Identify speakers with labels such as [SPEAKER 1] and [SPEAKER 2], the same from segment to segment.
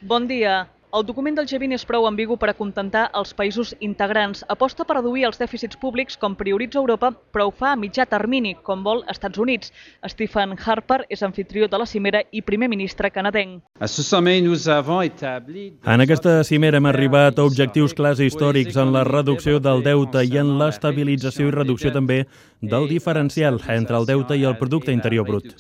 [SPEAKER 1] Bon dia. El document del G20 és prou ambigu per acontentar els països integrants. Aposta per reduir els dèficits públics com prioritza Europa, però ho fa a mitjà termini, com vol Estats Units. Stephen Harper és anfitrió de la cimera i primer ministre canadenc.
[SPEAKER 2] En aquesta cimera hem arribat a objectius clars i històrics en la reducció del deute i en l'estabilització i reducció també del diferencial entre el deute i el producte interior brut.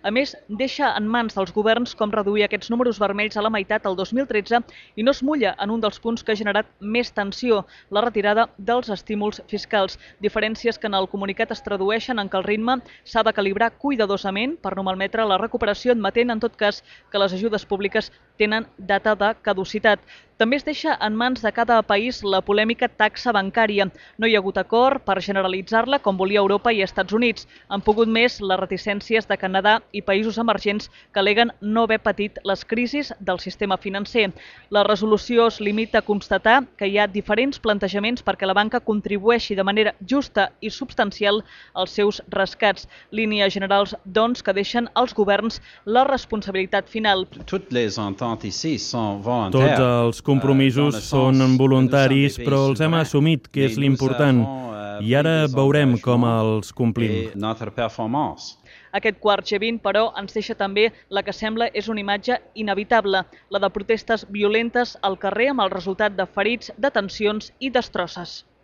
[SPEAKER 1] A més, deixa en mans dels governs com reduir aquests números vermells a la meitat el 2013 i no es mulla en un dels punts que ha generat més tensió, la retirada dels estímuls fiscals. Diferències que en el comunicat es tradueixen en que el ritme s'ha de calibrar cuidadosament per no malmetre la recuperació, admetent en tot cas que les ajudes públiques tenen data de caducitat. També es deixa en mans de cada país la polèmica taxa bancària. No hi ha hagut acord per generalitzar-la com volia Europa i Estats Units. Han pogut més les reticències de Canadà i països emergents que aleguen no haver patit les crisis del sistema financer. La resolució es limita a constatar que hi ha diferents plantejaments perquè la banca contribueixi de manera justa i substancial als seus rescats. Línies generals, doncs, que deixen als governs la responsabilitat final.
[SPEAKER 2] Tots els compromisos són voluntaris, però els hem assumit, que és l'important, i ara veurem com els complim.
[SPEAKER 1] Aquest quart G20, però, ens deixa també la que sembla és una imatge inevitable, la de protestes violentes al carrer amb el resultat de ferits, detencions i destrosses.